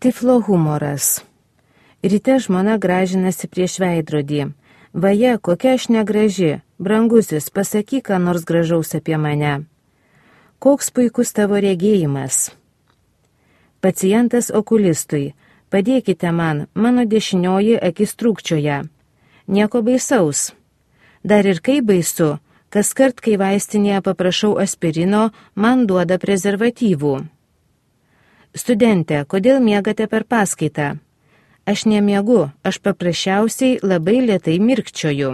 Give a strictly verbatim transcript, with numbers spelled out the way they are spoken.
Tiflo humoras. Ryte žmona gražinasi prieš veidrodį. Vaje, kokia aš negraži. Brangusis, pasakyk, ką nors gražaus apie mane. Koks puikus tavo regėjimas. Pacientas okulistui. Padėkite man, mano dešinioji akis trūkčioja. Nieko baisaus. Dar ir kai baisu, kas kart, kai vaistinėje paprašau aspirino, man duoda prezervatyvų. Studente, kodėl miegate per paskaitą? Aš nemiegu, aš paprasčiausiai labai lėtai mirkčioju.